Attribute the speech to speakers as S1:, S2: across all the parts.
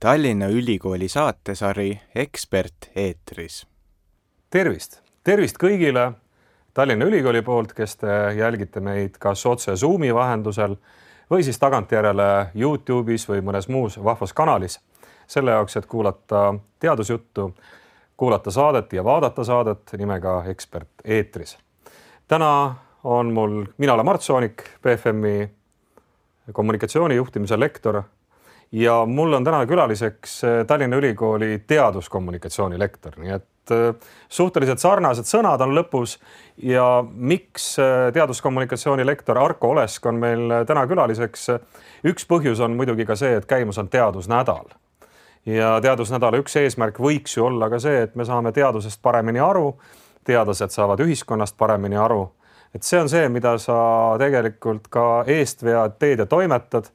S1: Tallinna Ülikooli saatesari Ekspert eetris.
S2: Tervist kõigile Tallinna Ülikooli poolt, kes te jälgite meid kas otse Zoomi vahendusel või siis tagantjärele YouTube'is või mõnes muus vahvas kanalis. Selle jaoks, et kuulata teadusjuttu, kuulata saadet ja vaadata saadet nimega Ekspert eetris. Täna on mina olen Mart Soonik, BFM-i kommunikatsioonijuhtimise lektor ja mul on täna külaliseks Tallinna Ülikooli teaduskommunikatsiooni lektor, nii et suhteliselt sarnased sõnad on lõpus ja miks teaduskommunikatsiooni lektor Arko Olesk on meil täna külaliseks? Üks põhjus on muidugi ka see, et käimus on teadusnädal. Ja teadusnädala üks eesmärk võiks ju olla ka see, et me saame teadusest paremini aru, teadlased saavad ühiskonnast paremini aru. Et see on see, mida sa tegelikult ka eestvead teed ja toimetad.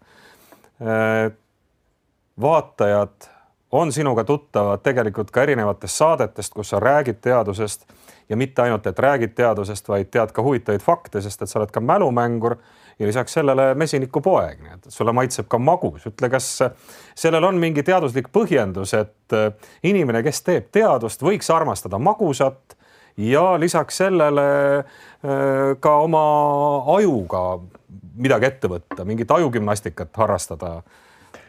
S2: Vaatajad on sinuga tuttavad tegelikult ka erinevatest saadetest, kus sa räägid teadusest ja mitte ainult, et räägid teadusest, vaid tead ka huvitavaid fakte, sest et sa oled ka mälumängur ja lisaks sellele mesinikupoeg. Nii et sulle maitseb ka magus. Ütle, kas sellel on mingi teaduslik põhjendus, et inimene, kes teeb teadust, võiks armastada magusat ja lisaks sellele ka oma ajuga midagi ette võtta, mingit ajugümnastikat harrastada.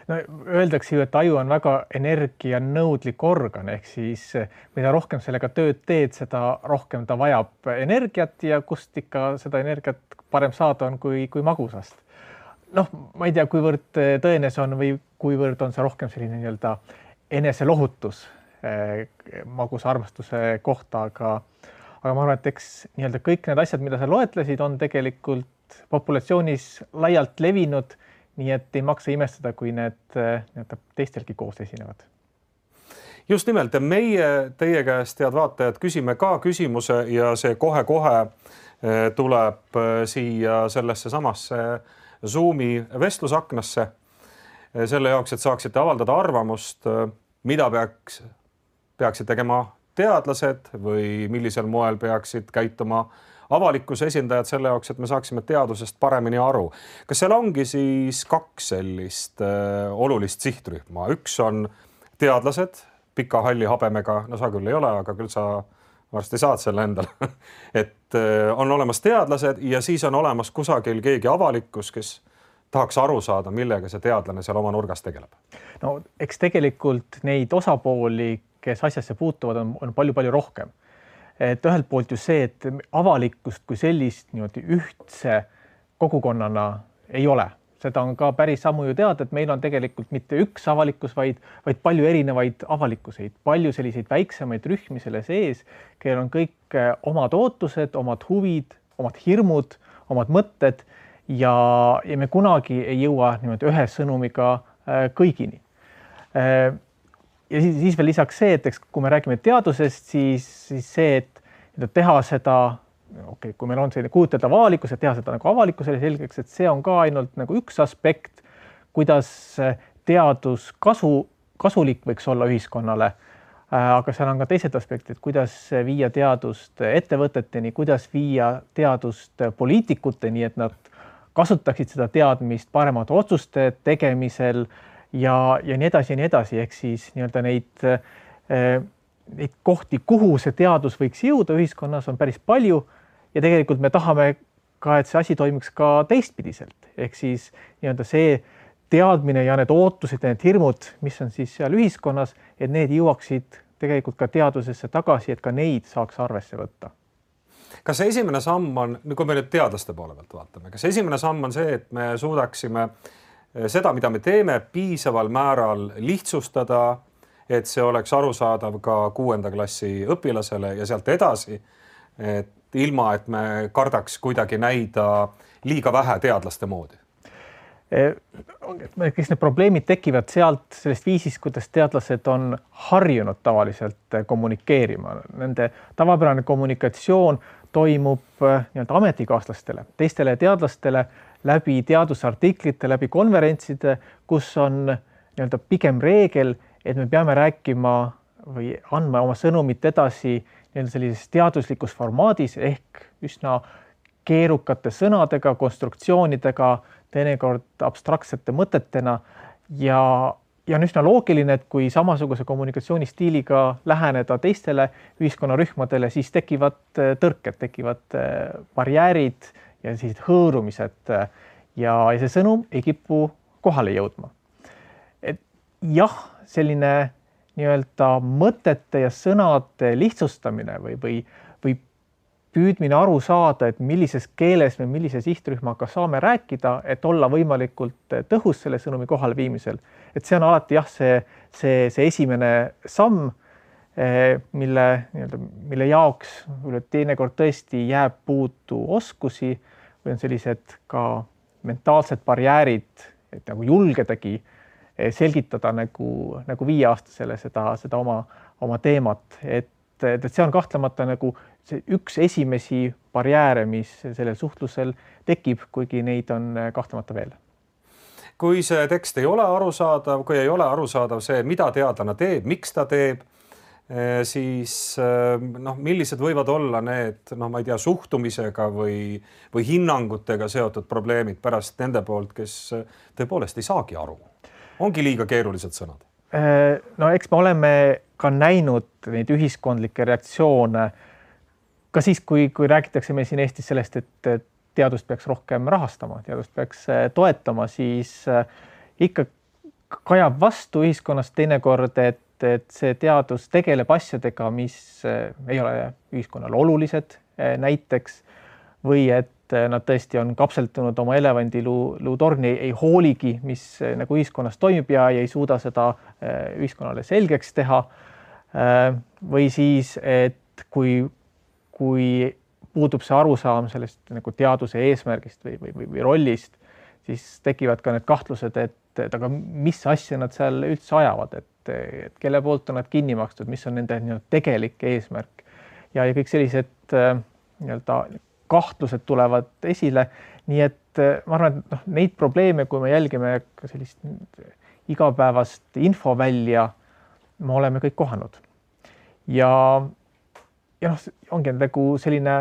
S3: No, öeldakse ju, et aju on väga energianõudlik organ, ehk siis mida rohkem sellega tööd teed, seda rohkem ta vajab energiat ja kust ikka seda energiat parem saada on kui magusast. Noh, ma ei tea, kuivõrd tõene see on või kuivõrd on see rohkem selline nii-öelda eneselohutus magusa armastuse kohta, aga ma arvan, et eks nii-öelda kõik need asjad, mida sa loetlesid, on tegelikult populatsioonis laialt levinud. Nii et ei maksa imestada, kui need teistelgi koos esinevad.
S2: Just nimelt, meie teie käest, head vaatajad, küsime ka küsimuse ja see kohe-kohe tuleb siia sellesse samasse Zoomi vestlusaknasse. Selle jaoks, et saaksite avaldada arvamust, mida peaksid tegema teadlased või millisel moel peaksid käituma avalikkuse esindajad selle jaoks, et me saaksime teadusest paremini aru. Kas seal ongi siis kaks sellist olulist sihtrühma? Üks on teadlased, pika halli habemega, no sa küll ei ole, aga küll sa varsti saad selle endale. Et on olemas teadlased ja siis on olemas kusagil keegi avalikkus, kes tahaks aru saada, millega see teadlane seal oma nurgas tegeleb.
S3: No, eks tegelikult neid osapooli, kes asjasse puutuvad, on palju rohkem. Et ühelt poolt ju see, et avalikkust kui sellist ühtse kogukonnana ei ole. Seda on ka päris sammu ju teada, et meil on tegelikult mitte üks avalikkus, vaid palju erinevaid avalikkuseid, palju selliseid väiksemaid rühmi selle sees, kellel on kõik omad ootused, omad huvid, omad hirmud, omad mõtted ja me kunagi ei jõua ühe sõnumiga kõigini. Ja siis veel lisaks see, et kui me räägime teadusest, siis see, et teha seda, kui meil on selline kujuteldav avalikkus, et teha seda nagu avalikkusele selgeks, et see on ka ainult nagu üks aspekt, kuidas teadus kasulik võiks olla ühiskonnale, aga seal on ka teised aspektid, kuidas viia teadust ettevõteteni, kuidas viia teadust poliitikuteni, et nad kasutaksid seda teadmist paremate otsuste tegemisel, ja nii edasi, ehk siis neid kohti, kuhu see teadus võiks jõuda ühiskonnas on päris palju ja tegelikult me tahame ka, et see asi toimiks ka teistpidiselt. Ehk siis see teadmine ja need ootused ja need hirmud, mis on siis seal ühiskonnas, et need jõuaksid tegelikult ka teadusesse tagasi, et ka neid saaks arvesse võtta.
S2: Kas see esimene samm on, kui me nüüd teadlaste poole pealt vaatame, kas esimene samm on see, et me suudaksime seda, mida me teeme, piisaval määral lihtsustada, et see oleks arusaadav ka 6. klassi õpilasele ja sealt edasi, et ilma, et me kardaks kuidagi näida liiga vähe teadlaste moodi?
S3: Kes need probleemid tekivad sellest viisist, kuidas teadlased on harjunud tavaliselt kommunikeerima. Nende tavapärane kommunikatsioon toimub ametikaaslastele, teistele teadlastele läbi teadusartiklite, läbi konverentside, kus on pigem reegel, et me peame rääkima või andma oma sõnumit edasi sellises teaduslikus formaadis ehk üsna keerukate sõnadega, konstruktsioonidega, teinekord abstraktsete mõtetena ja ja on üsna loogiline, et kui samasuguse kommunikatsioonistiiliga läheneda teistele ühiskonnarühmadele, siis tekivad tõrked, tekivad barjäärid ja sellised hõõrumised ja see sõnum ei kipu kohale jõudma. Et jah, selline nii-öelda mõtete ja sõnade lihtsustamine või püüdmine aru saada, et millises keeles me millise sihtrühmaga saame rääkida, et olla võimalikult tõhus selle sõnumi kohale viimisel. Et see on alati jah, see esimene samm, mille jaoks teinekord tõesti jääb puudu oskusi või on sellised ka mentaalsed barjäärid, et nagu julgedagi selgitada nagu 5-aastasele seda oma teemat, et see on kahtlemata nagu see üks esimesi barjääre, mis sellel suhtlusel tekib, kuigi neid on kahtlemata veel.
S2: Kui see tekst ei ole arusaadav, kui ei ole arusaadav see, mida teadlane teeb, miks ta teeb, siis millised võivad olla need, ma ei tea, suhtumisega või hinnangutega seotud probleemid pärast nende poolt, kes tõepoolest ei saagi aru. Ongi liiga keerulised sõnad?
S3: No eks me oleme ka näinud neid ühiskondlikke reaktsioone ka siis, kui räägitakse meil siin Eestis sellest, et teadust peaks rohkem rahastama, teadust peaks toetama, siis ikka kajab vastu ühiskonnas teinekord, et see teadus tegeleb asjadega, mis ei ole ühiskonnale olulised näiteks või et nad tõesti on kapseltunud oma elevandiluutorni, ei hooligi, mis nagu ühiskonnas toimub ja ei suuda seda ühiskonnale selgeks teha. Või siis, et kui puudub see arusaam sellest nagu teaduse eesmärgist või rollist, siis tekivad ka need kahtlused, et aga mis asja nad seal üldse ajavad, et kelle poolt on nad kinni makstud, mis on nende tegelik eesmärk. Ja kõik sellised kahtlused tulevad esile, nii et ma arvan, et neid probleeme, kui me jälgime ka sellist igapäevast infovälja, me oleme kõik kohanud. Ja ongi nagu selline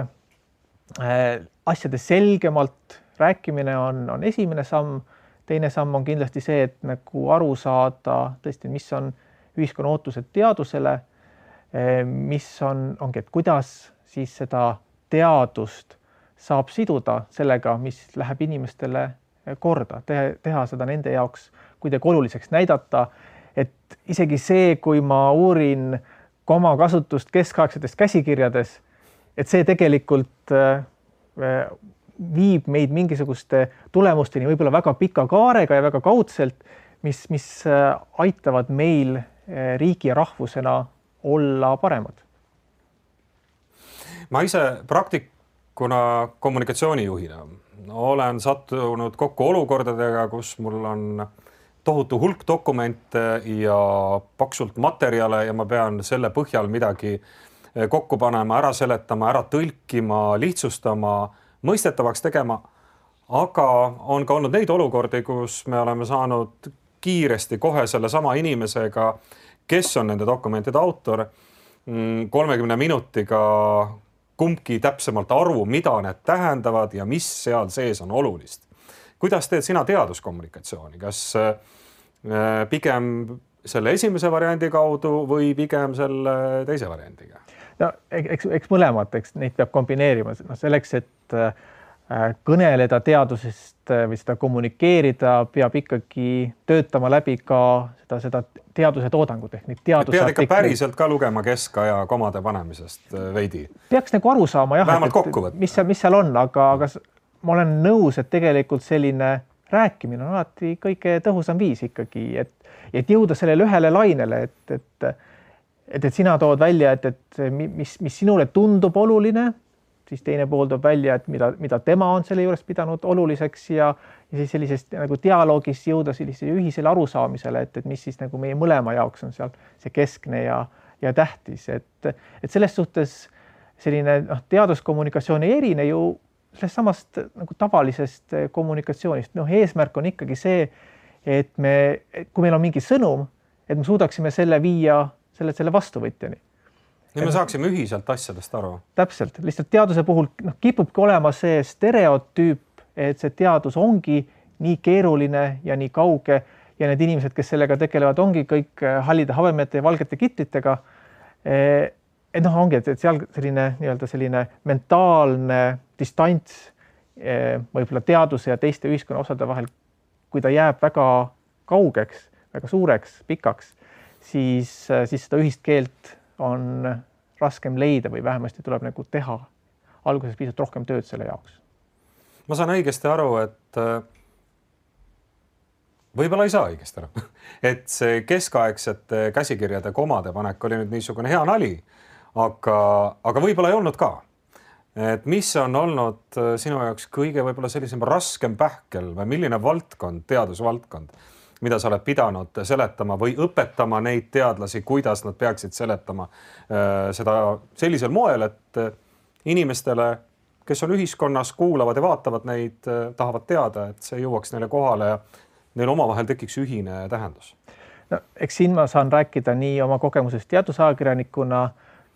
S3: asjade selgemalt rääkimine on esimene samm. Teine samm on kindlasti see, et nagu aru saada tõesti, mis on ühiskonna ootused teadusele, mis ongi, et kuidas siis seda teadust saab siduda sellega, mis läheb inimestele korda, teha seda nende jaoks kuidagi oluliseks näidata, et isegi see, kui ma uurin komakasutust keskaegsetest käsikirjades, et see tegelikult viib meid mingisuguste tulemusteni võib-olla väga pika kaarega ja väga kaudselt, mis aitavad meil riigi ja rahvusena olla paremad.
S2: Ma ise praktikuna kommunikatsioonijuhina olen sattunud kokku olukordadega, kus mul on tohutu hulk dokumente ja paksult materjale ja ma pean selle põhjal midagi kokku panema, ära seletama, ära tõlkima, lihtsustama, mõistetavaks tegema. Aga on ka olnud neid olukordi, kus me oleme saanud kiiresti kohe selle sama inimesega, kes on nende dokumentide autor, 30 minutiga kumbki täpsemalt aru, mida need tähendavad ja mis seal sees on olulist. Kuidas teed sina teaduskommunikatsiooni? Kas pigem selle esimese variandi kaudu või pigem selle teise variandiga?
S3: No, eks mõlemad, neid peab kombineerima. Selleks, et kõneleda teadusest või seda kommunikeerida, peab ikkagi töötama läbi ka seda teaduse toodangut.
S2: Pead ikka päriselt ka lugema keskaja komade panemisest veidi?
S3: Peaks nagu aru saama, jah, mis seal on, aga ma olen nõus, et tegelikult selline rääkimine on alati kõige tõhusam viis ikkagi, et jõuda sellele ühele lainele, et sina tood välja, et mis sinule tundub oluline, siis teine pool toob välja, et mida tema on selle juures pidanud oluliseks ja siis sellisest nagu dialoogis jõuda sellisele ühisele arusaamisele, et mis siis nagu meie mõlema jaoks on seal see keskne ja tähtis, et selles suhtes selline teaduskommunikatsioon ei erine ju sellest samast nagu tavalisest kommunikatsioonist. Eesmärk on ikkagi see, et kui meil on mingi sõnum, et me suudaksime selle viia selle vastuvõtjani.
S2: Ja me saaksime ühiselt asjadest aru.
S3: Täpselt. Lihtsalt teaduse puhul kipubki olema see stereotüüp, et see teadus ongi nii keeruline ja nii kauge ja need inimesed, kes sellega tegelevad, ongi kõik hallide habemete ja valgete kitlitega. Et noh, ongi, et seal selline mentaalne distants võib-olla teaduse ja teiste ühiskonna osade vahel, kui ta jääb väga kaugeks, väga suureks, pikaks, siis seda ühist keelt on raskem leida või vähemasti tuleb nagu teha alguses pisut rohkem tööd selle jaoks.
S2: Ma saan õigesti aru, et võib-olla ei saa õigesti aru, et see keskaegsete käsikirjade komade panek oli nüüd niisugune hea nali, aga võib-olla ei olnud ka. Et mis on olnud sinu jaoks kõige võib-olla sellisem raskem pähkel või milline valdkond, teadusvaldkond, mida sa oled pidanud seletama või õpetama neid teadlasi, kuidas nad peaksid seletama seda sellisel moel, et inimestele, kes on ühiskonnas, kuulavad ja vaatavad neid, tahavad teada, et see jõuaks neile kohale ja neil omavahel tekiks ühine tähendus.
S3: No, eks siin ma saan rääkida nii oma kogemusest teadusajakirjanikuna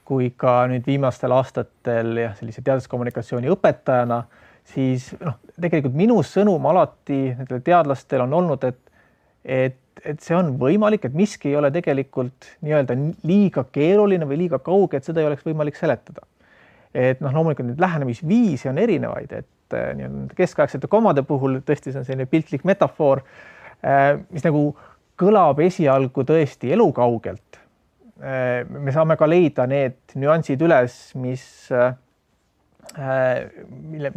S3: kui ka nüüd viimastel aastatel ja sellise teaduskommunikatsiooni õpetajana, siis tegelikult minu sõnum alati nendele teadlastel on olnud, et see on võimalik, et miski ei ole tegelikult nii-öelda liiga keeruline või liiga kauge, et seda ei oleks võimalik seletada. Et loomulikult nüüd lähenemisviisi on erinevaid, et keskaegsete komade puhul tõesti see on selline piltlik metafoor, mis nagu kõlab esialgu tõesti elukaugelt. Me saame ka leida need nüansid üles,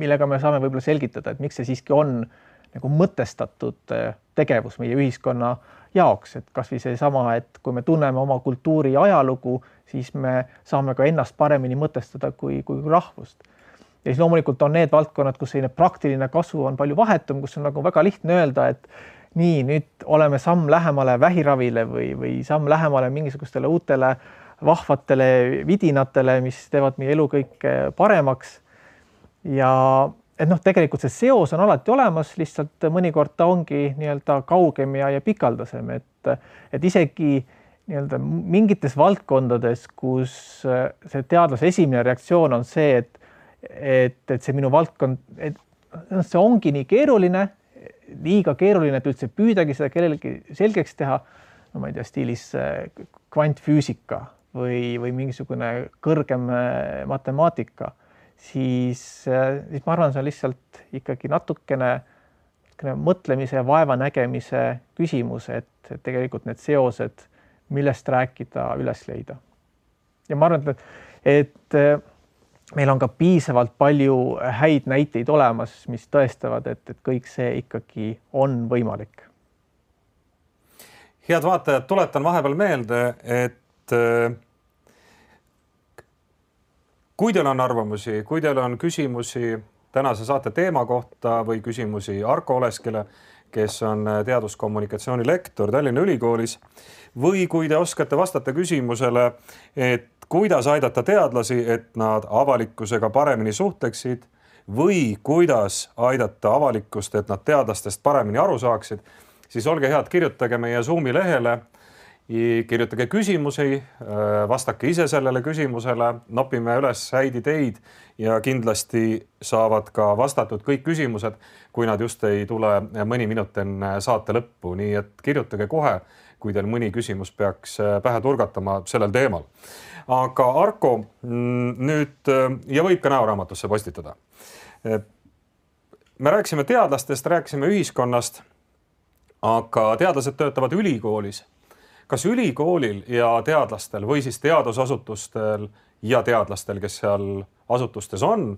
S3: millega me saame võib-olla selgitada, et miks see siiski on nagu mõtestatud tegevus meie ühiskonna jaoks, et kas või see sama, et kui me tunneme oma kultuuri ajalugu, siis me saame ka ennast paremini mõtestada kui rahvust. Ja siis loomulikult on need valdkonnad, kus selline praktiline kasu on palju vahetum, kus on nagu väga lihtne öelda, et nii, nüüd oleme samm lähemale vähiravile või samm lähemale mingisugustele uutele vahvatele vidinatele, mis teevad meie elu kõik paremaks. Ja et tegelikult see seos on alati olemas, lihtsalt mõnikord ta ongi nii-öelda kaugem ja pikaldasem, et isegi nii-öelda mingites valdkondades, kus see teadlase esimene reaktsioon on see, et see minu valdkond, see ongi nii keeruline, liiga keeruline, et üldse püüdagi seda kellelegi selgeks teha, no ma ei tea, stiilis kvantfüüsika või mingisugune kõrgem matemaatika, siis ma arvan, see on lihtsalt ikkagi natukene mõtlemise ja vaeva nägemise küsimus, et tegelikult need seosed, millest rääkida, üles leida. Ja ma arvan, et meil on ka piisavalt palju häid näiteid olemas, mis tõestavad, et kõik see ikkagi on võimalik.
S2: Head vaatajad, tuletan vahepeal meelde, et kui teil on arvamusi, kui teil on küsimusi tänase saate teema kohta või küsimusi Arko Oleskile, kes on teaduskommunikatsiooni lektor Tallinna Ülikoolis, või kui te oskate vastata küsimusele, et kuidas aidata teadlasi, et nad avalikkusega paremini suhtleksid või kuidas aidata avalikkust, et nad teadlastest paremini aru saaksid, siis olge head, kirjutage meie Zoomi lehele, kirjutage küsimusi, vastake ise sellele küsimusele, nopime üles häid ideid ja kindlasti saavad ka vastatud kõik küsimused, kui nad just ei tule mõni minut enne saate lõppu, nii et kirjutage kohe, kui teil mõni küsimus peaks pähe turgatama sellel teemal. Aga Arko, nüüd, ja võib ka näoraamatusse postitada. Me rääkisime teadlastest, rääkisime ühiskonnast, aga teadlased töötavad ülikoolis. Kas ülikoolil ja teadlastel või siis teadusasutustel ja teadlastel, kes seal asutustes on,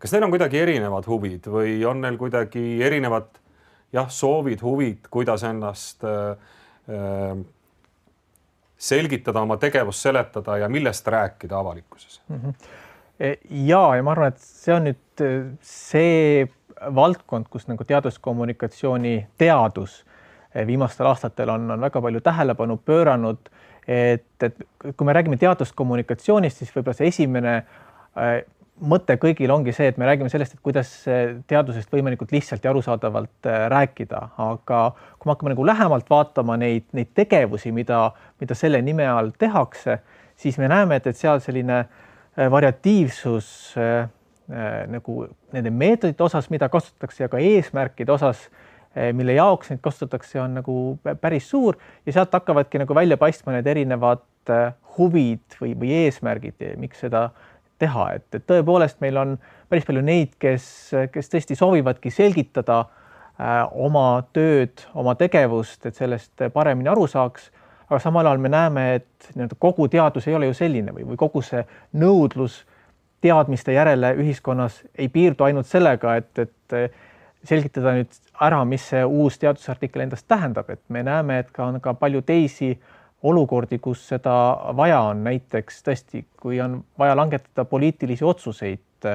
S2: kas neil on kuidagi erinevad huvid või on neil kuidagi erinevad soovid, huvid, kuidas ennast selgitada, oma tegevust seletada ja millest rääkida avalikkuses?
S3: Ja ma arvan, et see on nüüd see valdkond, kus nagu teaduskommunikatsiooni teadus viimastel aastatel on väga palju tähelepanu pööranud, et kui me räägime teaduskommunikatsioonist, siis võib-olla see esimene mõte kõigil ongi see, et me räägime sellest, et kuidas teadusest võimalikult lihtsalt ja arusaadavalt rääkida, aga kui me hakkame nagu lähemalt vaatama neid tegevusi, mida selle nime all tehakse, siis me näeme, et seal selline variatiivsus nagu nende meetodite osas, mida kasutatakse ja ka eesmärkide osas mille jaoks neid kasutatakse, on nagu päris suur ja sealt hakkavadki nagu välja paistma need erinevad huvid või eesmärgid, miks seda teha, et tõepoolest meil on päris palju neid, kes tõesti soovivadki selgitada oma tööd, oma tegevust, et sellest paremini aru saaks, aga samal ajal me näeme, et kogu teadus ei ole ju selline või kogu see nõudlus teadmiste järele ühiskonnas ei piirdu ainult sellega, et selgitada nüüd ära, mis see uus teadusartikkel endast tähendab, et me näeme, et on ka palju teisi olukordi, kus seda vaja on, näiteks tõesti, kui on vaja langetada poliitilisi otsuseid.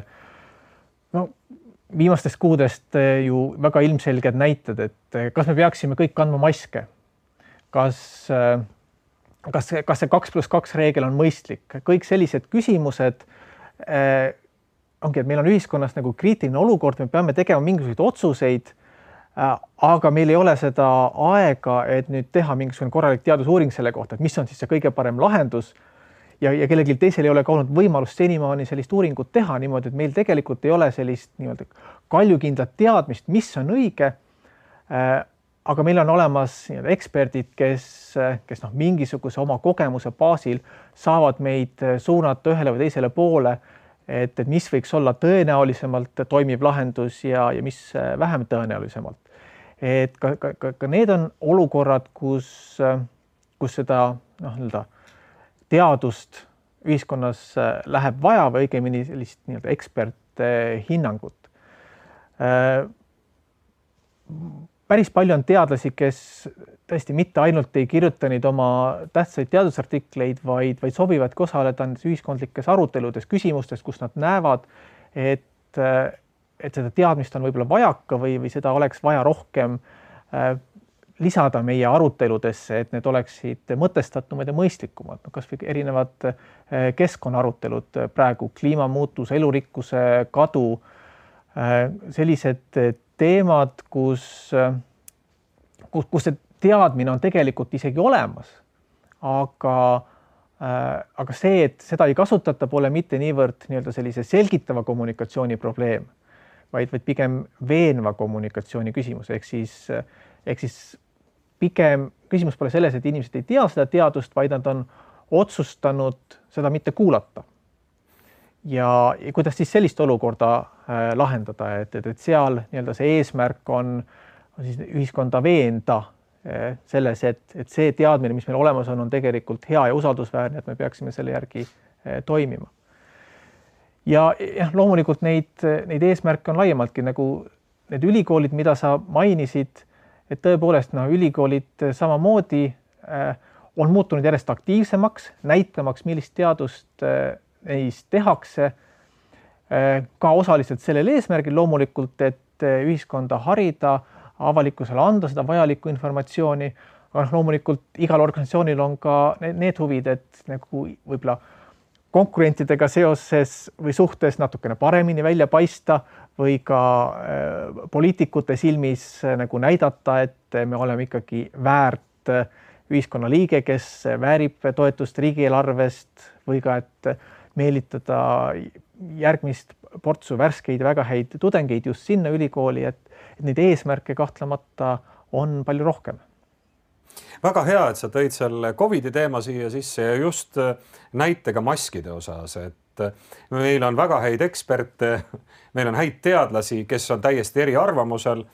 S3: No, viimastest kuudest ju väga ilmselged näited, et kas me peaksime kõik kandma maske, kas see 2+2 reegel on mõistlik, kõik sellised küsimused ongi, et meil on ühiskonnas nagu kriitiline olukord, me peame tegema mingisuguseid otsuseid, aga meil ei ole seda aega, et nüüd teha mingisugune korralik teadusuuring selle kohta, et mis on siis see kõige parem lahendus ja kellelgi teisel ei ole ka olnud võimalust senimaani sellist uuringut teha niimoodi, et meil tegelikult ei ole sellist nii-öelda kaljukindlat teadmist, mis on õige. Aga meil on olemas eksperdid, kes mingisuguse oma kogemuse baasil saavad meid suunata ühele või teisele poole, et mis võiks olla tõenäolisemalt toimiv lahendus ja mis vähem tõenäolisemalt. Et ka need on olukorrad, kus seda teadust ühiskonnas läheb vaja või õigemini sellist eksperthinnangut. Päris palju on teadlasi, kes tõesti mitte ainult ei kirjuta neid oma tähtsaid teadusartikleid, vaid sobivadki osaleda ühiskondlikes aruteludes, küsimustes, kus nad näevad, et seda teadmist on võib-olla vajaka või seda oleks vaja rohkem lisada meie aruteludesse, et need oleksid mõtestatumad ja mõistlikumad. Kas või erinevad keskkonnaarutelud praegu, kliimamuutus, elurikkuse kadu, sellised teemad, kus see teadmine on tegelikult isegi olemas, aga see, et seda ei kasutata, pole mitte niivõrd sellise selgitava kommunikatsiooni probleem, vaid pigem veenva kommunikatsiooni küsimus. Ehk siis pigem küsimus pole selles, et inimesed ei tea seda teadust, vaid nad on otsustanud seda mitte kuulata. Ja kuidas siis sellist olukorda lahendada, et seal see eesmärk on siis ühiskonda veenda selles, et see teadmine, mis meil olemas on tegelikult hea ja usaldusväärne, et me peaksime selle järgi toimima. Ja loomulikult neid eesmärke on laiemaltki, nagu need ülikoolid, mida sa mainisid, et tõepoolest ülikoolid samamoodi on muutunud järjest aktiivsemaks, näitamaks, millist teadust neis tehakse, ka osaliselt sellel eesmärgil loomulikult, et ühiskonda harida, avalikkusele anda seda vajalikku informatsiooni, aga loomulikult igal organisatsioonil on ka need huvid, et nagu võib-olla konkurentidega seoses või suhtes natukene paremini välja paista või ka poliitikute silmis nagu näidata, et me oleme ikkagi väärt ühiskonna liige, kes väärib toetust riigieelarvest või ka, et meelitada järgmist portsu värskeid väga häid tudengeid just sinna ülikooli, et neid eesmärke kahtlemata on palju rohkem.
S2: Väga hea, et sa tõid selle COVID-i teema siia sisse ja just näitega maskide osas, et meil on väga häid eksperte, meil on häid teadlasi, kes on täiesti eri arvamusel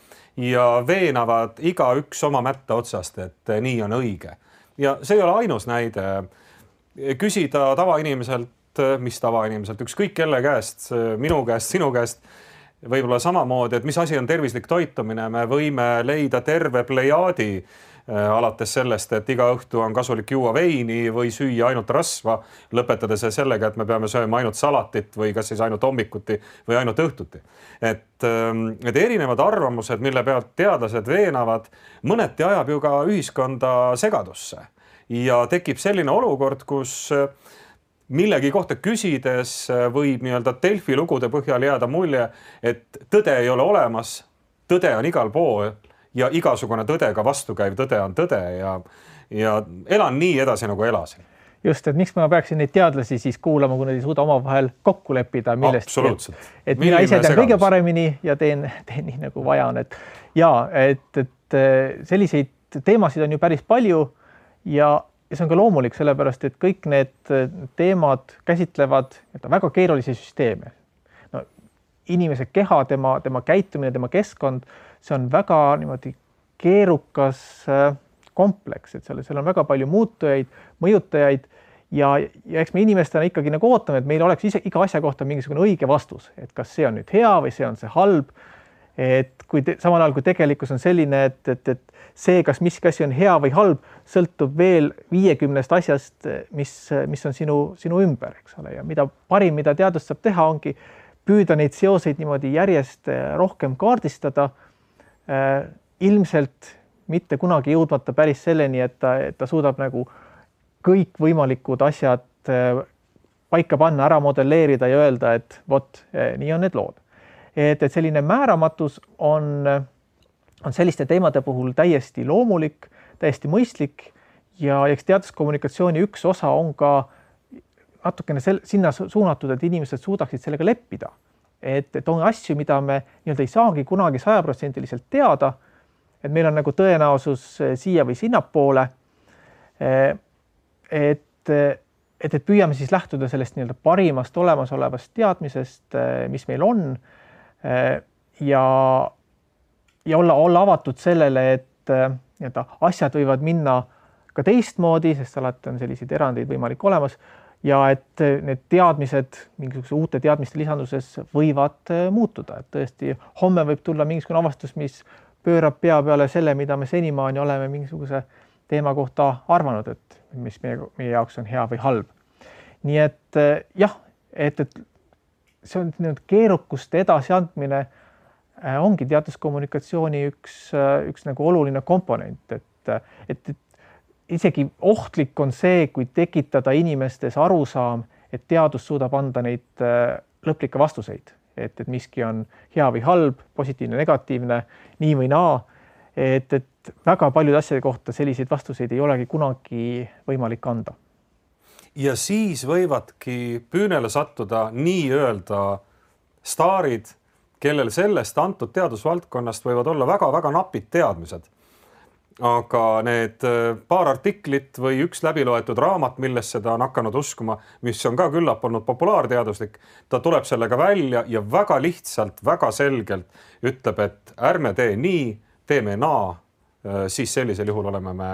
S2: ja veenavad igaüks oma mätta otsast, et nii on õige. Ja see ei ole ainus näide. Küsida tavainimiselt, mis tavainimiselt, ükskõik kelle käest, minu käest, sinu käest, võib-olla samamoodi, et mis asi on tervislik toitumine, me võime leida terve plejaadi alates sellest, et iga õhtu on kasulik juua veini või süüa ainult rasva, lõpetades sellega, et me peame sööma ainult salatit või kas siis ainult hommikuti või ainult õhtuti. Et erinevad arvamused, mille pealt teadlased veenavad, mõneti ajab ju ka ühiskonda segadusse ja tekib selline olukord, kus millegi kohta küsides võib Delfi lugude põhjal jääda mulje, et tõde ei ole olemas, tõde on igal pool ja igasugune tõdega vastukäiv tõde on tõde ja elan nii edasi, nagu elasin.
S3: just, et miks ma peaksin neid teadlasi siis kuulama, kui nad ei suuda omavahel kokku leppida millestki.
S2: Absoluutselt.
S3: Et mina ise tean kõige paremini ja teen nii nagu vaja on. Et selliseid teemasid on ju päris palju ja see on ka loomulik, sellepärast, et kõik need teemad käsitlevad väga keerulisi süsteeme. No, inimese keha, tema käitumine, tema keskkond, see on väga niimoodi keerukas kompleks, et seal on väga palju muutujaid, mõjutajaid ja eks me inimestena ikkagi nagu ootame, et meil oleks iga asja kohta mingisugune õige vastus, et kas see on nüüd hea või see on see halb. Et samal ajal, kui tegelikkus on selline, et see, kas miski asi on hea või halb, sõltub veel 50 asjast, mis on sinu ümber, eks ole. Ja mida parim, mida teadus saab teha, ongi püüda neid seoseid niimoodi järjest rohkem kaardistada, ilmselt mitte kunagi jõudmata päris selleni, et ta suudab nagu kõik võimalikud asjad paika panna, ära modelleerida ja öelda, et vot, nii on need lood. Et selline määramatus on selliste teemade puhul täiesti loomulik, täiesti mõistlik ja eks teaduskommunikatsiooni üks osa on ka natukene sinna suunatud, et inimesed suudaksid sellega leppida. Et on asju, mida me ei saagi kunagi 100% teada, et meil on nagu tõenäosus siia või sinnapoole, et püüame siis lähtuda sellest parimast olemasolevast teadmisest, mis meil on, ja olla avatud sellele, et asjad võivad minna ka teistmoodi, sest alati on selliseid erandeid võimalik olemas ja et need teadmised mingisuguse uute teadmiste lisanduses võivad muutuda. Et tõesti, homme võib tulla mingisugune avastus, mis pöörab pea peale selle, mida me senimaani oleme mingisuguse teema kohta arvanud, et mis meie jaoks on hea või halb. Nii et jah, et see on keerukuste edasiandmine ongi teaduskommunikatsiooni üks nagu oluline komponent, et isegi ohtlik on see, kui tekitada inimestes arusaam, et teadus suudab anda neid lõplikke vastuseid, et miski on hea või halb, positiivne, negatiivne, nii või naa, et väga paljude asjade kohta selliseid vastuseid ei olegi kunagi võimalik anda.
S2: Ja siis võivadki püünele sattuda nii-öelda staarid, kellel sellest antud teadusvaldkonnast võivad olla väga-väga napid teadmised. Aga need paar artiklit või üks läbiloetud raamat, milles seda on hakanud uskuma, mis on ka küllap olnud populaarteaduslik, ta tuleb sellega välja ja väga lihtsalt, väga selgelt ütleb, et ärme tee nii, teeme naa, siis sellisel juhul oleme me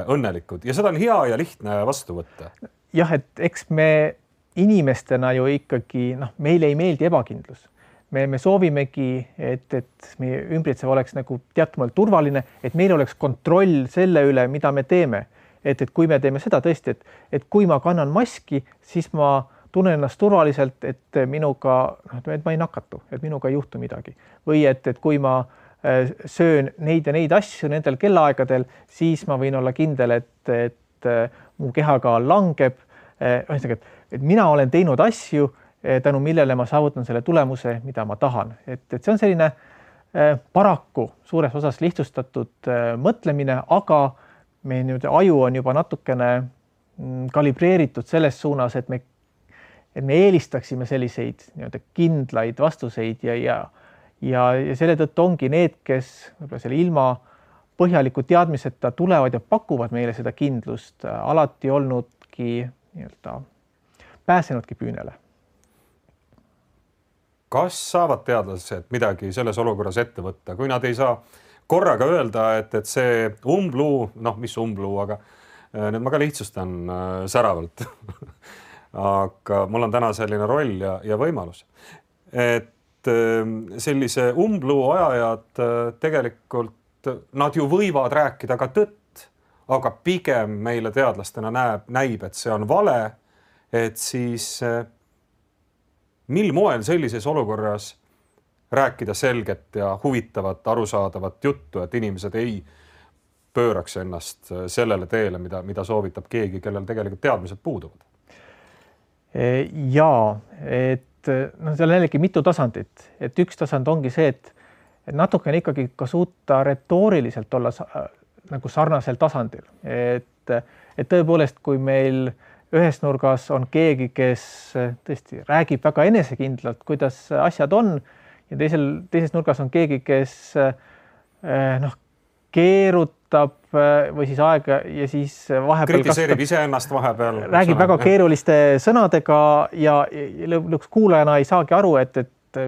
S2: õnnelikud. Ja seda on hea ja lihtne vastu võtta.
S3: Jah, et eks me inimestena ju ikkagi, meile ei meeldi ebakindlus. Me soovimegi, et meie ümbritsev oleks nagu teatumalt turvaline, et meil oleks kontroll selle üle, mida me teeme. Et kui me teeme seda tõesti, et kui ma kannan maski, siis ma tunnen ennast turvaliselt, et minuga, et ma ei nakatu, et minuga ei juhtu midagi. Või et kui ma söön neid ja neid asju nendel kellaaegadel, siis ma võin olla kindel, et mu kehakaal langeb. Et mina olen teinud asju, tänu millele ma saavutan selle tulemuse, mida ma tahan. Et see on selline paraku suures osas lihtsustatud mõtlemine, aga meie aju on juba natukene kalibreeritud selles suunas, et me eelistaksime selliseid kindlaid vastuseid ja selle tõttu ongi need, kes selle ilma põhjaliku teadmiseta tulevad ja pakuvad meile seda kindlust, alati olnudki pääsenudki püünele.
S2: Kas saavad teadlased midagi selles olukorras ette võtta, kui nad ei saa korraga öelda, et see umbluu, mis umbluu, aga nüüd ma ka lihtsustan säravalt. Aga mul on täna selline roll ja võimalus. Et sellise umbluu ajajad tegelikult, nad ju võivad rääkida ka tõtt, aga pigem meile teadlastena näib, et see on vale, et siis mil moel sellises olukorras rääkida selget ja huvitavat, arusaadavat juttu, et inimesed ei pööraks ennast sellele teele, mida soovitab keegi, kellel tegelikult teadmised puuduvad?
S3: Jaa, et seal on jällegi mitu tasandit. Et üks tasand ongi see, et natukene ikkagi ka suuta retooriliselt olla nagu sarnasel tasandil. Et tõepoolest, kui meil ühes nurgas on keegi, kes tõesti räägib väga enesekindlalt, kuidas asjad on ja teises nurgas on keegi, kes keerutab või siis aega ja siis vahepeal
S2: kritiseerib iseennast vahepeal.
S3: Räägib väga keeruliste sõnadega ja lõpuks kuulajana ei saagi aru, et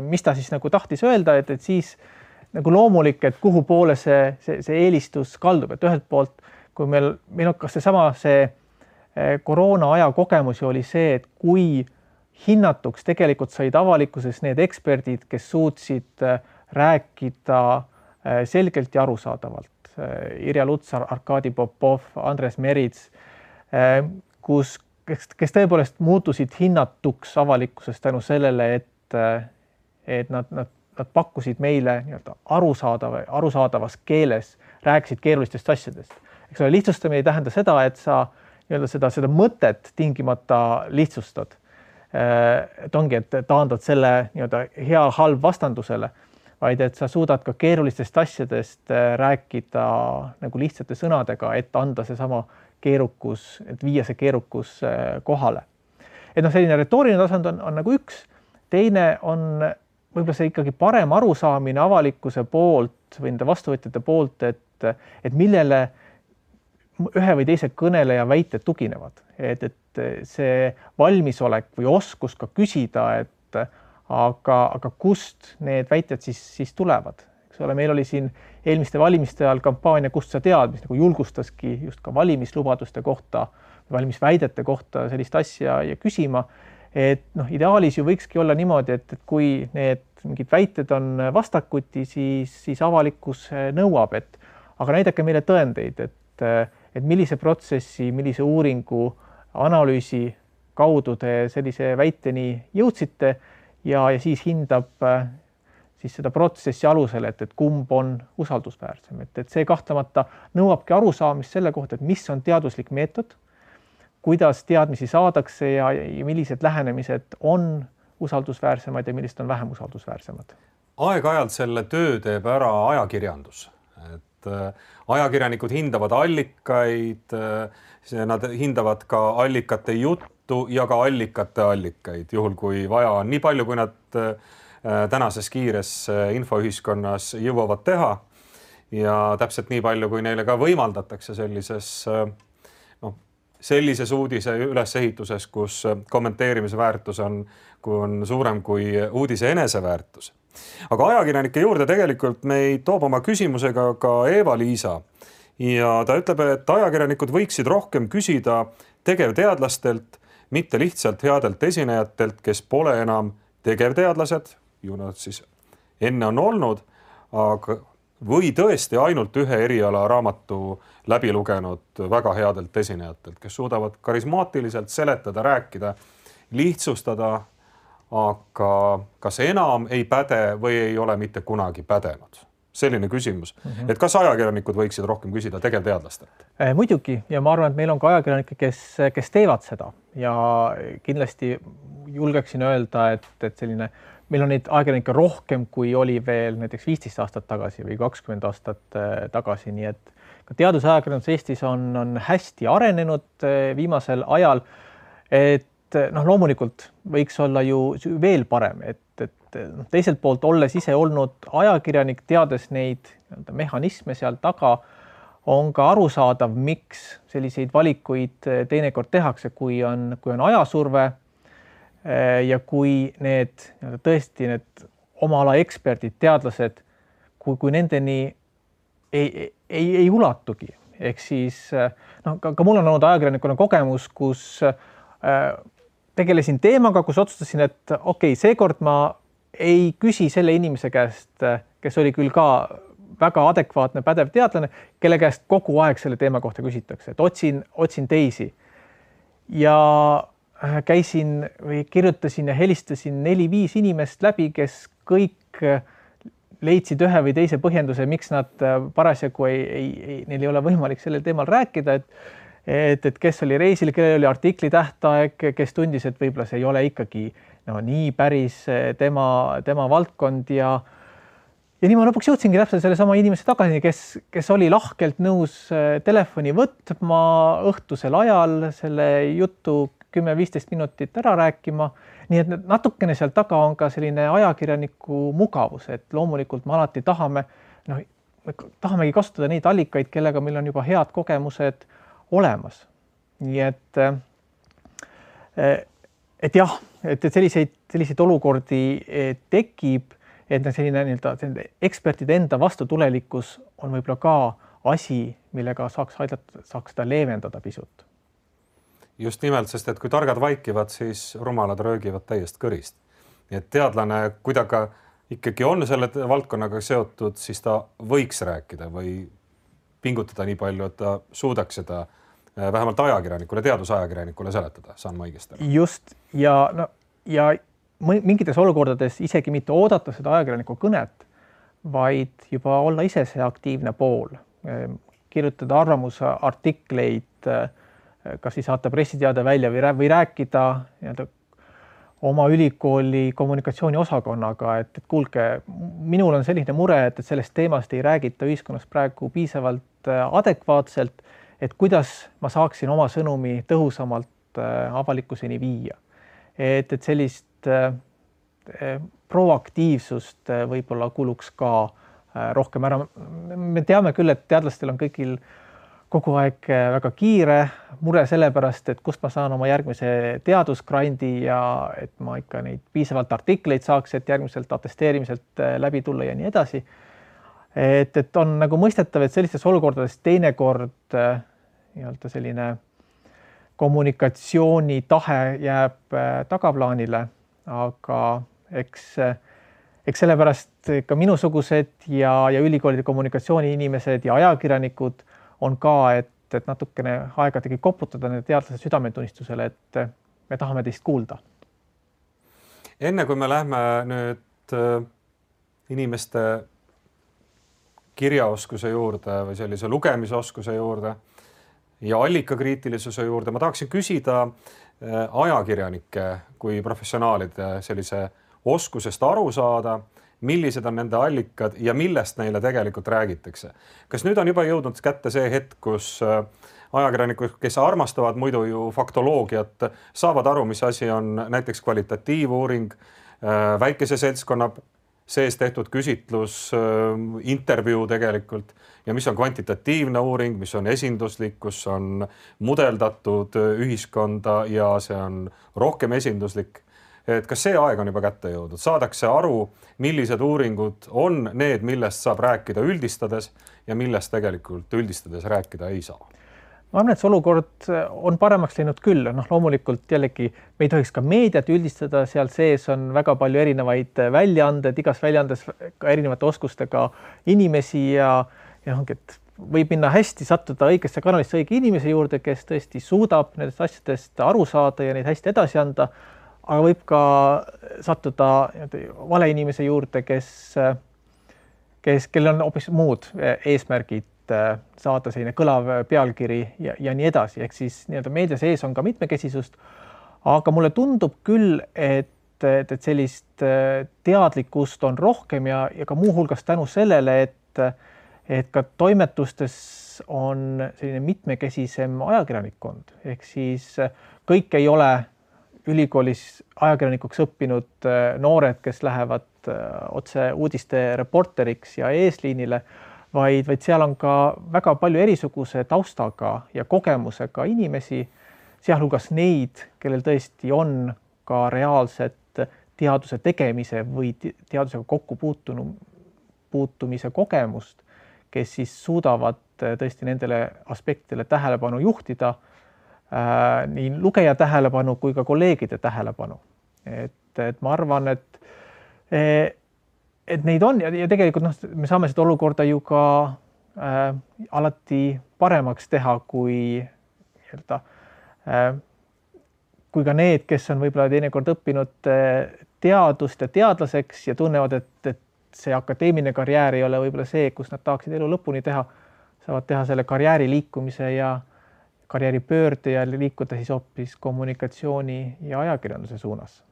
S3: mis ta siis nagu tahtis öelda, et siis nagu loomulik, et kuhu poole see eelistus kaldub, et ühelt poolt, kui meil on kas see koroona aja kogemus oli see, et kui hinnatuks tegelikult said avalikkuses need eksperdid, kes suutsid rääkida selgelt ja arusaadavalt. Irja Lutsar, Arkadi Popov, Andres Merits, kes tõepoolest muutusid hinnatuks avalikkuses tänu sellele, et nad pakkusid meile arusaadavas keeles, rääkisid keerulistest asjadest. Eks ole, lihtsustamine ei tähenda seda, et sa seda mõtet tingimata lihtsustad. Et ongi, et taandad selle hea-halb vastandusele, vaid et sa suudad ka keerulistest asjadest rääkida nagu lihtsate sõnadega, et anda seesama keerukus, et viia see keerukus kohale. Et selline retooriline tasand on nagu üks, teine on võib-olla see ikkagi parem arusaamine avalikkuse poolt või nende vastuvõtjate poolt, et millele ühe või teise kõneleja väited tuginevad. Et see valmisolek või oskus ka küsida, aga kust need väited siis tulevad. Eks ole, meil oli siin eelmiste valimiste ajal kampaania Kust sa tead, mis nagu julgustaski just ka valimislubaduste kohta, valimisväidete kohta sellist asja ja küsima. Et ideaalis ju võikski olla niimoodi, et kui need mingid väited on vastakuti, siis avalikkus nõuab, aga näidake meile tõendeid, et millise protsessi, millise uuringu, analüüsi kaudu te sellise väiteni jõudsite ja siis hindab siis seda protsessi alusel, et kumb on usaldusväärsem. Et see kahtlemata nõuabki arusaamist selle kohta, et mis on teaduslik meetod, kuidas teadmisi saadakse ja millised lähenemised on usaldusväärsemad ja millised on vähem usaldusväärsemad.
S2: Aeg-ajalt selle töö teeb ära ajakirjandus. Et ajakirjanikud hindavad allikaid, nad hindavad ka allikate juttu ja ka allikate allikaid, juhul kui vaja on nii palju, kui nad tänases kiires infoühiskonnas jõuavad teha ja täpselt nii palju, kui neile ka võimaldatakse sellises uudise ülesehituses, kus kommenteerimise väärtus on suurem kui uudise eneseväärtus. Aga ajakirjanike juurde tegelikult meid toob oma küsimusega ka Eva-Liisa ja ta ütleb, et ajakirjanikud võiksid rohkem küsida tegevteadlastelt, mitte lihtsalt headelt esinejatelt, kes pole enam tegevteadlased, ju nad siis enne on olnud, või tõesti ainult ühe eriala raamatu läbi lugenud väga headelt esinejatelt, kes suudavad karismaatiliselt seletada, rääkida, lihtsustada, aga kas enam ei päde või ei ole mitte kunagi pädenud? Selline küsimus, et kas ajakirjanikud võiksid rohkem küsida tegevteadlastelt?
S3: Muidugi ja ma arvan, et meil on ka ajakirjanikke, kes teevad seda ja kindlasti julgeksin öelda, et selline meil on neid ajakirjanikke rohkem, kui oli veel näiteks 15 aastat tagasi või 20 aastat tagasi, nii et ka teadusajakirjandus Eestis on hästi arenenud viimasel ajal, et loomulikult võiks olla ju veel parem, et teiselt poolt olles ise olnud ajakirjanik, teades neid mehhanisme seal taga, on ka arusaadav, miks selliseid valikuid teinekord tehakse, kui on ajasurve ja kui tõesti need oma ala eksperdid, teadlased, kui nendeni ei ulatugi. Ehk siis ka mul on olnud ajakirjanikuna kogemus, kus tegelesin teemaga, kus otsustasin, et okei, seekord ma ei küsi selle inimese käest, kes oli küll ka väga adekvaatne pädev teadlane, kelle käest kogu aeg selle teema kohta küsitakse, et otsin teisi. Ja käisin või kirjutasin ja helistasin 4-5 inimest läbi, kes kõik leidsid ühe või teise põhjenduse, miks nad parasjagu neil ei ole võimalik sellel teemal rääkida, et kes oli reisil, kellel oli artikli tähtaeg, kes tundis, et võib-olla see ei ole ikkagi nii päris tema valdkond ja ja nii ma lõpuks jõudsingi täpselt selle sama inimese tagasi, kes oli lahkelt nõus telefoni võtma õhtusel ajal selle jutu 10-15 minutit ära rääkima. Nii et natukene seal taga on ka selline ajakirjaniku mugavus, et loomulikult me alati tahamegi kasutada neid allikaid, kellega meil on juba head kogemused olemas. Nii et jah, et selliseid olukordi tekib, et selline ekspertide enda vastutulelikkus on võib-olla ka asi, millega saaks seda leevendada pisut.
S2: Just nimelt, sest et kui targad vaikivad, siis rumalad röögivad täiest kõrist. Nii et teadlane, kui ta ka ikkagi on selle valdkonnaga seotud, siis ta võiks rääkida või pingutada nii palju, et ta suudaks seda vähemalt ajakirjanikule, teadusajakirjanikule seletada, saan ma õigesti.
S3: Just ja mingites olukordades isegi mitte oodata seda ajakirjaniku kõnet, vaid juba olla ise see aktiivne pool, kirjutada arvamusartikleid, kas siis saata pressiteade välja või rääkida oma ülikooli kommunikatsiooniosakonnaga, et kuulge, minul on selline mure, et sellest teemast ei räägita ühiskonnas praegu piisavalt adekvaatselt, et kuidas ma saaksin oma sõnumi tõhusamalt avalikkuseni viia. Et sellist proaktiivsust võib-olla kuluks ka rohkem ära. Me teame küll, et teadlastel on kõigil kogu aeg väga kiire mure sellepärast, et kust ma saan oma järgmise teadusgrandi ja et ma ikka neid piisavalt artikleid saaks, et järgmiselt atesteerimiselt läbi tulla ja nii edasi. Et on nagu mõistetav, et sellistes olukordades teinekord selline kommunikatsiooni tahe jääb tagaplaanile, aga eks sellepärast ka minusugused ja ülikoolide kommunikatsiooni inimesed ja ajakirjanikud on ka, et natukene aegadagi koputada nende teadlase südametunnistusele, et me tahame teist kuulda.
S2: Enne kui me lähme nüüd inimeste kirjaoskuse juurde või sellise lugemisoskuse juurde ja allikakriitilisuse juurde, ma tahaksin küsida ajakirjanike kui professionaalide sellise oskusest aru saada, millised on nende allikad ja millest neile tegelikult räägitakse. Kas nüüd on juba jõudnud kätte see hetk, kus ajakirjanikud, kes armastavad muidu ju faktoloogiat, saavad aru, mis asi on näiteks kvalitatiivuuring, väikese seltskonna sees tehtud küsitlus, intervjuu tegelikult ja mis on kvantitatiivne uuring, mis on esinduslik, kus on mudeldatud ühiskonda ja see on rohkem esinduslik. Et kas see aeg on juba kätte jõudnud? Saadakse aru, millised uuringud on need, millest saab rääkida üldistades ja millest tegelikult üldistades rääkida ei saa?
S3: Ma arvan, et see olukord on paremaks läinud küll. Loomulikult jällegi me ei tohiks ka meediat üldistada, seal sees on väga palju erinevaid väljaanded, igas väljaandes ka erinevate oskustega inimesi ja võib minna hästi, sattuda õigesse kanalisse õige inimese juurde, kes tõesti suudab nendest asjadest aru saada ja neid hästi edasi anda. Aga võib ka sattuda vale inimese juurde, kellel on hoopis muud eesmärgid saada selline kõlav pealkiri ja nii edasi. Ehk siis meedia sees on ka mitmekesisust, aga mulle tundub küll, et sellist teadlikkust on rohkem ja ka muuhulgas tänu sellele, et ka toimetustes on selline mitmekesisem ajakirjanikkond. Ehk siis kõik ei ole ülikoolis ajakirjanikuks õppinud noored, kes lähevad otse uudiste reporteriks ja eesliinile, vaid seal on ka väga palju erisuguse taustaga ja kogemusega inimesi, sealhulgas neid, kellel tõesti on ka reaalset teaduse tegemise või teadusega kokkupuutumise kogemust, kes siis suudavad tõesti nendele aspektidele tähelepanu juhtida, nii lugeja tähelepanu kui ka kolleegide tähelepanu. Et ma arvan, et neid on ja tegelikult me saame seda olukorda ju ka alati paremaks teha, kui ka need, kes on võib-olla teinekord õppinud teadust ja teadlaseks ja tunnevad, et see akadeemiline karjäär ei ole võib-olla see, kus nad tahaksid elu lõpuni teha, saavad teha selle karjääri liikumise ja karjääri pöörde ja liikuda siis hoopis kommunikatsiooni ja ajakirjanduse suunas.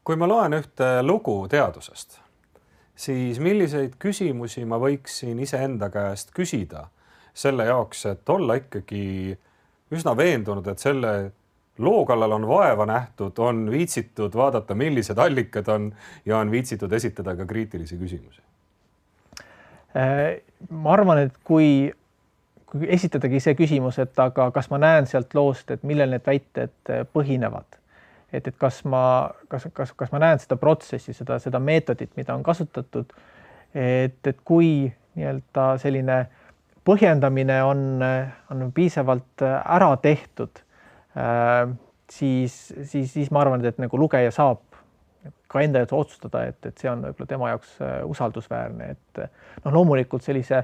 S2: Kui ma loen ühte lugu teadusest, siis milliseid küsimusi ma võiksin iseenda käest küsida selle jaoks, et olla ikkagi üsna veendunud, et selle loo kallal on vaeva nähtud, on viitsitud vaadata, millised allikad on ja on viitsitud esitada ka kriitilisi küsimusi?
S3: Ma arvan, et kui esitadagi see küsimus, et aga kas ma näen sealt loost, et millel need väited põhinevad, et kas ma näen seda protsessi, seda meetodit, mida on kasutatud, et kui nii-öelda selline põhjendamine on piisavalt ära tehtud, siis ma arvan, et nagu lugeja saab ka enda jaoks otsustada, et see on võib-olla tema jaoks usaldusväärne, et loomulikult sellise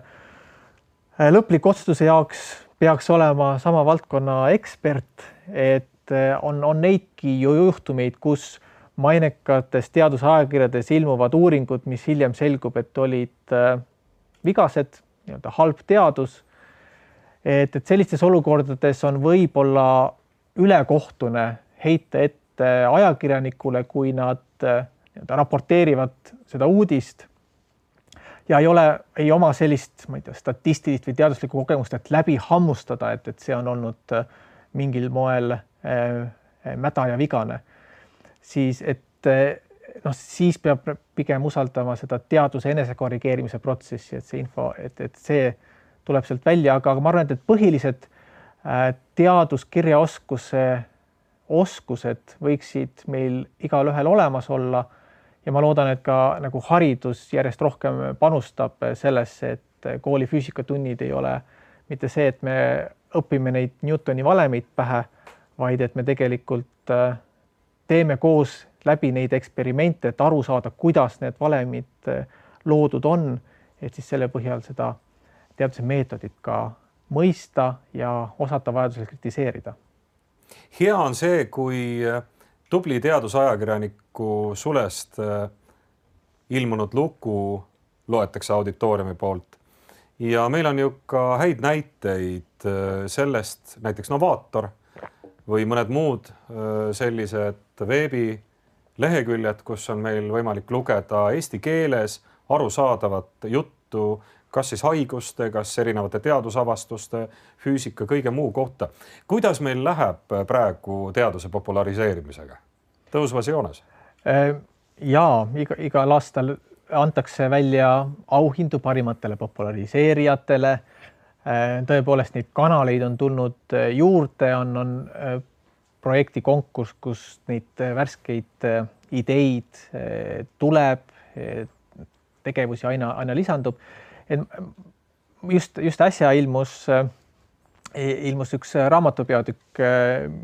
S3: lõpliku otsustuse jaoks peaks olema sama valdkonna ekspert, et on neidki juhtumeid, kus mainekates teadusajakirjades ilmuvad uuringud, mis hiljem selgub, et olid vigased, nii-öelda halb teadus. Et sellistes olukordades on võib-olla ülekohtune heita ette ajakirjanikule, kui nad raporteerivad seda uudist ja ei oma sellist, ma ei tea, statistilist või teaduslikku kogemust, et läbi hammustada, et see on olnud mingil moel mäda ja vigane, siis siis peab pigem usaldama seda teaduse enesekorrigeerimise protsessi, et see info, et see tuleb sealt välja, aga ma arvan, et põhilised teaduskirjaoskuse oskused võiksid meil igalühel olemas olla ja ma loodan, et ka nagu haridus järjest rohkem panustab sellesse, et kooli füüsikatunnid ei ole mitte see, et me õpime neid Newtoni valemeid pähe, vaid et me tegelikult teeme koos läbi neid eksperimente, et aru saada, kuidas need valemid loodud on, et siis selle põhjal seda teaduse meetodit ka mõista ja osata vajadusel kritiseerida.
S2: Hea on see, kui tubli teadusajakirjaniku sulest ilmunud lugu loetakse auditooriumi poolt. Ja meil on ju ka häid näiteid sellest, näiteks Novaator või mõned muud sellised veebileheküljed, kus on meil võimalik lugeda eesti keeles arusaadavat juttu, kas siis haiguste, kas erinevate teadusavastuste, füüsika, kõige muu kohta. Kuidas meil läheb praegu teaduse populariseerimisega? Tõusvas joones?
S3: Jaa, igal aastal antakse välja auhindu parimatele populariseerijatele. Tõepoolest neid kanaleid on tulnud juurde, on projekti konkurss, kus neid värskeid ideid tuleb, tegevusi aina lisandub. Just äsja ilmus üks raamatupeatükk,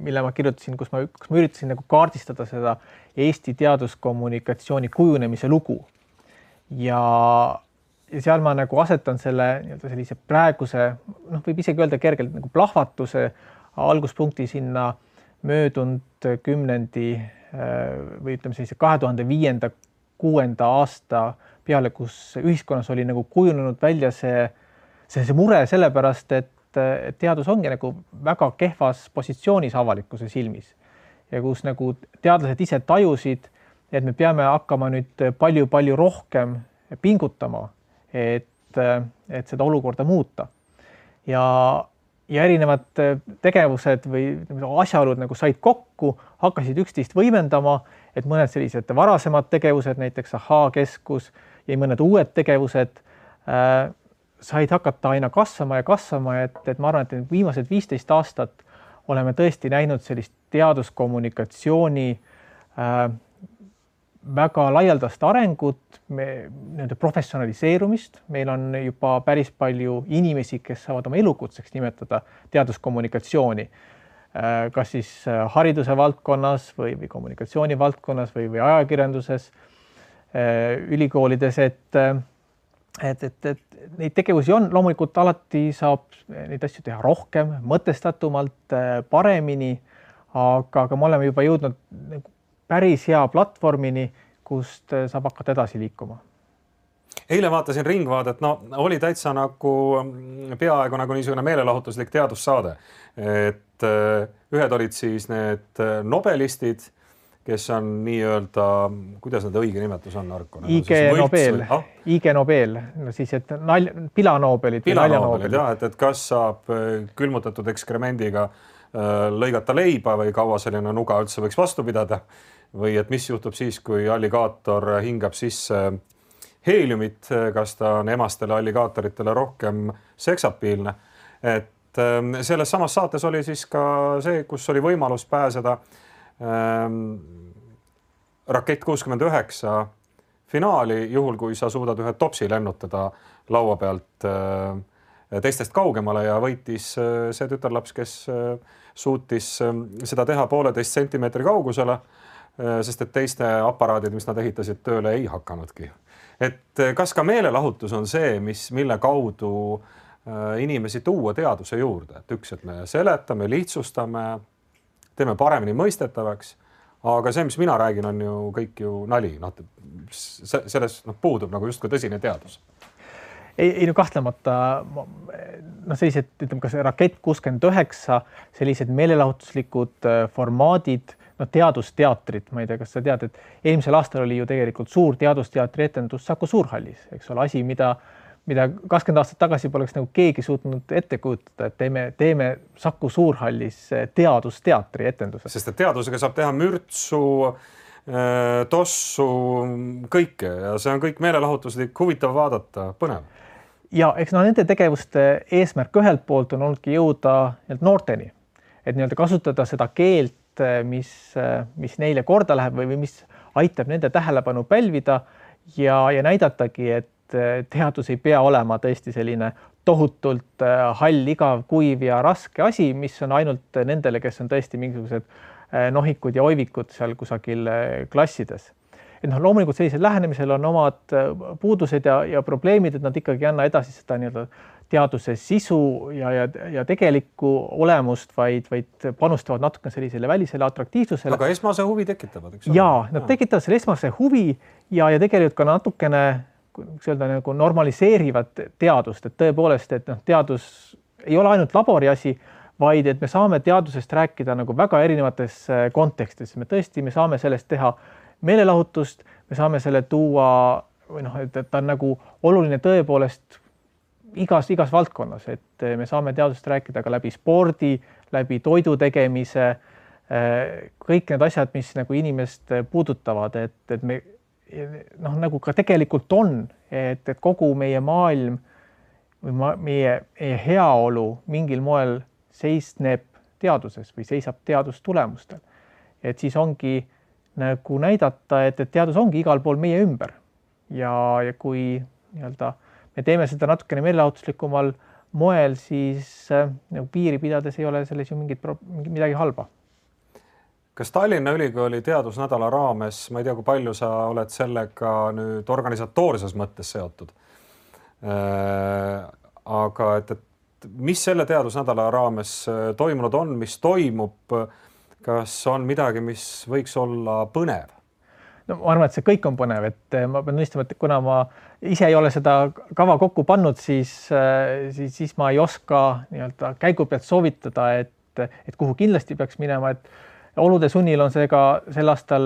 S3: mille ma kirjutasin, kus ma üritasin nagu kaardistada seda Eesti teaduskommunikatsiooni kujunemise lugu. Ja seal ma nagu asetan selle sellise praeguse, võib isegi öelda kergelt nagu plahvatuse alguspunkti sinna möödunud kümnendi või ütleme sellise 2005-2006 aasta peale, kus ühiskonnas oli nagu kujunenud välja see mure sellepärast, et teadus ongi nagu väga kehvas positsioonis avalikkuse silmis ja kus nagu teadlased ise tajusid, et me peame hakkama nüüd palju rohkem pingutama, et seda olukorda muuta. Ja erinevad tegevused või asjaolud nagu said kokku, hakkasid üksteist võimendama, et mõned sellised varasemad tegevused, näiteks Ahhaa-keskus ja mõned uued tegevused said hakata aina kasvama, et ma arvan, et viimased 15 aastat oleme tõesti näinud sellist teaduskommunikatsiooni väga laialdast arengut, professionaliseerumist. Meil on juba päris palju inimesi, kes saavad oma elukutseks nimetada teaduskommunikatsiooni, kas siis hariduse valdkonnas või kommunikatsiooni valdkonnas või ajakirjanduses, ülikoolides, et neid tegevusi on, loomulikult alati saab neid asju teha rohkem, mõtestatumalt, paremini, aga me oleme juba jõudnud päris hea platvormini, kust saab hakata edasi liikuma.
S2: Eile vaatasin Ringvaadet, oli täitsa nagu peaaegu nagu niisugune meelelahutuslik teadussaade, et ühed olid siis need nobelistid kes on nii-öelda, kuidas need õige nimetus on, Arko?
S3: IG Nobel, no siis, et pilanobelid või naljanobelid.
S2: Jah, et kas saab külmutatud ekskremendiga lõigata leiba või kaua selline nuga üldse võiks vastu pidada või et mis juhtub siis, kui alligaator hingab sisse heeliumit, kas ta on emastele alligaatoritele rohkem seksapiilne. Et selles samas saates oli siis ka see, kus oli võimalus pääseda Rakett 69 finaali, juhul kui sa suudad ühe topsi lennutada laua pealt teistest kaugemale ja võitis see tütarlaps, kes suutis seda teha 1,5 sentimeetri kaugusele, sest et teiste aparaadid, mis nad ehitasid, tööle ei hakanudki. Et kas ka meelelahutus on see, mille kaudu inimesi tuua teaduse juurde, et üks, et me seletame, lihtsustame, teeme paremini mõistetavaks, aga see, mis mina räägin, on ju kõik ju nali. Selles puudub nagu justkui tõsine teadus.
S3: Ei no kahtlemata, sellised, ütleme, kas Rakett 69, sellised meelelahutuslikud formaadid, teadusteatrid, ma ei tea, kas sa tead, et eelmisel aastal oli ju tegelikult suur teadusteatri etendus Saku Suurhallis, eks ole, asi, mida 20 aastat tagasi poleks nagu keegi suutnud ette kujutada, et teeme Saku Suurhallis teadusteatri etenduse.
S2: Sest et teadusega saab teha mürtsu, tossu, kõike ja see on kõik meelelahutuslik, huvitav vaadata, põnev.
S3: Ja eks nende tegevuste eesmärk ühelt poolt on olnudki jõuda noorteni, et kasutada seda keelt, mis neile korda läheb või mis aitab nende tähelepanu pälvida ja näidatagi, et teadus ei pea olema tõesti selline tohutult hall, igav, kuiv ja raske asi, mis on ainult nendele, kes on tõesti mingisugused nohikud ja oivikud seal kusagil klassides. Et loomulikult sellisel lähenemisel on omad puudused ja probleemid, et nad ikkagi ei anna edasi seda teaduse sisu ja tegelikku olemust, vaid panustavad natuke sellisele välisele atraktiivsusele.
S2: Aga esmase huvi tekitavad, eks?
S3: Jaa, nad tekitavad selle esmase huvi ja tegelikult ka natukene nagu normaliseerivad teadust, et tõepoolest, et teadus ei ole ainult labori asi, vaid et me saame teadusest rääkida nagu väga erinevates kontekstis. Me saame sellest teha meelelahutust, me saame selle tuua, või et ta on nagu oluline tõepoolest igas valdkonnas, et me saame teadust rääkida ka läbi spordi, läbi toidu tegemise, kõik need asjad, mis nagu inimest puudutavad, et me nagu ka tegelikult on, et kogu meie maailm või meie heaolu mingil moel seisneb teaduses või seisab teadustulemustel. Et siis ongi nagu näidata, et teadus ongi igal pool meie ümber ja kui me teeme seda natukene meelelahutuslikumal moel, siis nagu piiri pidades ei ole selles ju midagi halba.
S2: Kas Tallinna Ülikooli teadusnädala raames, ma ei tea, kui palju sa oled sellega nüüd organisatoorses mõttes seotud, aga et mis selle teadusnädala raames toimunud on, mis toimub, kas on midagi, mis võiks olla põnev?
S3: No ma arvan, et see kõik on põnev, et ma pean nõistama, et kuna ma ise ei ole seda kava kokku pannud, siis ma ei oska käigu pealt soovitada, et kuhu kindlasti peaks minema, et olude sunnil on see ka sel aastal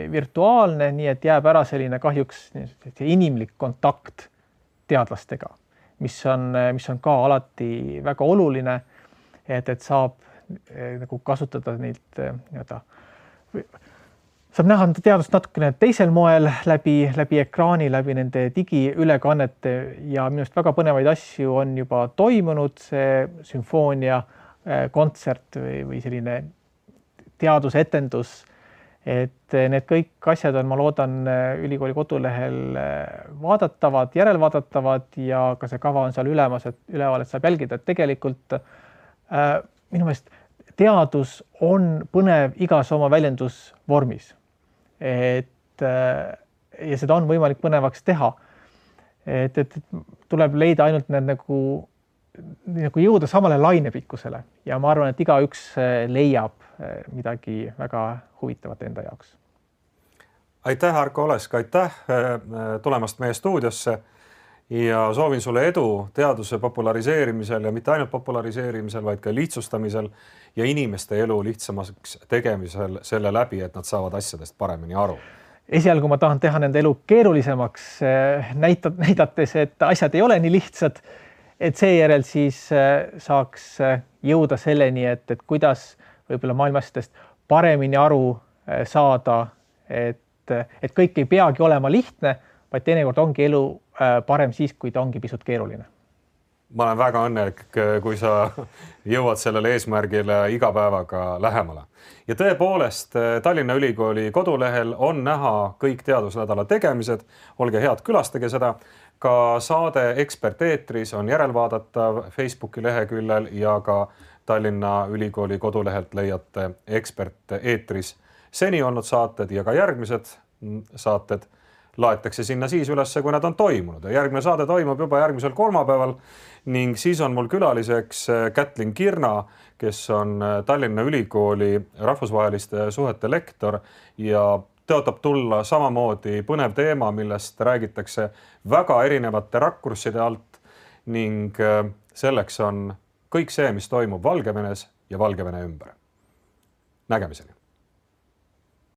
S3: virtuaalne, nii et jääb ära selline kahjuks inimlik kontakt teadlastega, mis on ka alati väga oluline, et saab nagu kasutada neilt saab näha teadust natukene teisel moel läbi ekraani, läbi nende digiülekannete ja minu arust väga põnevaid asju on juba toimunud, see sümfoonia kontsert või selline teadusetendus, et need kõik asjad on, ma loodan, ülikooli kodulehel vaadatavad, järelvaadatavad ja ka see kava on seal üleval, et saab jälgida, et tegelikult minu meelest teadus on põnev igas oma väljendusvormis. Ja seda on võimalik põnevaks teha. Et tuleb leida ainult need nagu jõuda samale lainepikkusele ja ma arvan, et igaüks leiab midagi väga huvitavat enda jaoks.
S2: Aitäh, Arko Olesk, aitäh tulemast meie stuudiosse ja soovin sulle edu teaduse populariseerimisel ja mitte ainult populariseerimisel, vaid ka lihtsustamisel ja inimeste elu lihtsamaks tegemisel selle läbi, et nad saavad asjadest paremini aru.
S3: Esialgu ma tahan teha nende elu keerulisemaks, näidates, et asjad ei ole nii lihtsad, et seejärel siis saaks jõuda selleni, et kuidas võib-olla maailmasest paremini aru saada, et kõik ei peagi olema lihtne, vaid teinekord ongi elu parem siis, kui ta ongi pisut keeruline.
S2: Ma olen väga õnnelik, kui sa jõuad sellele eesmärgile iga päevaga lähemale. Ja tõepoolest, Tallinna Ülikooli kodulehel on näha kõik teadusnädala tegemised. Olge head, külastage seda. Ka saade Ekspert eetris on järelvaadatav Facebooki leheküljel ja ka Tallinna Ülikooli kodulehelt leiate Ekspert eetris seni olnud saated ja ka järgmised saated laetakse sinna siis ülesse, kui nad on toimunud. Järgmine saade toimub juba järgmisel kolmapäeval ning siis on mul külaliseks Kätlin Kirna, kes on Tallinna Ülikooli rahvusvaheliste suhete lektor ja tõotab tulla samamoodi põnev teema, millest räägitakse väga erinevate rakursside alt ning selleks on kõik see, mis toimub Valgevenes ja Valgevene ümber. Nägemiseni!